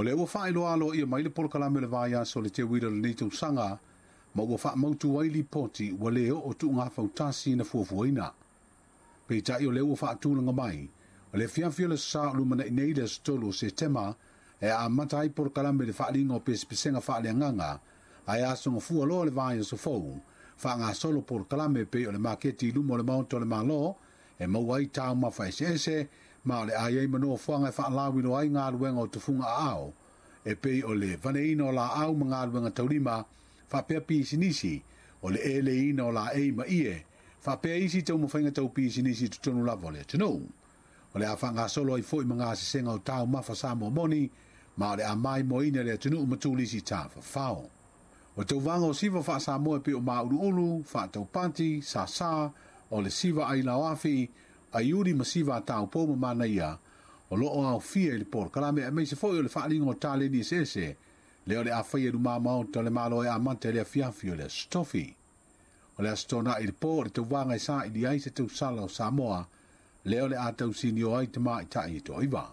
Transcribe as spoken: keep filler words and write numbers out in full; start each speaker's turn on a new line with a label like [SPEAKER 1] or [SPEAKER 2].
[SPEAKER 1] O lea ua faailoa aloaia mai le polokalame o le vaiaso o le teuila o lenei tausaga, ma ua faamautu ai lipoti ua le oo tuuga fautasi na fuafuaina. Peitai o lea ua faatulaga mai, o le afiafi o le Sa o lumanai nei le aso tolu o Setema, e amata ai polokalame i le faaaliga o pesepesega faaleagaga, ae aso gafua loa le vaiaso fou, faagasolo polokalame pei o le maketi i luma o le Maota o le Malo, e maua ai taumafa eseese, ma o le a i ai ma nofoaga e faalauiloa ai galuega o tufuga aao, e pei o le vaneina o laau ma galuega taulima, faapea pisinisi, o le eleina o laei ma ie, faapea isi taumafaiga tau pisinisi i totonu lava o le atunuu. O le a faagasolo ai foi ma gasesega o taumafa Samoa moni, ma o le a maimoaina le atunuu ma turisi tafafao. O tauvaga o siva faa-Samoa e pei o mauluulu, faataupati, sasa, o le siva ailaoafi, aiuli ma siva a taupou ma manaia, o loo aofia i le polokalame aemaise foi o le faaaliga o taleni eseese, lea o le a faia i luma maota o le Malo e amata i le afiafi o le Aso Tofi. O le Aso Toonai i le po o le tauvaga e saili ai se tausala o Samoa, lea o le a tausinio ai tamaitai e toaiva.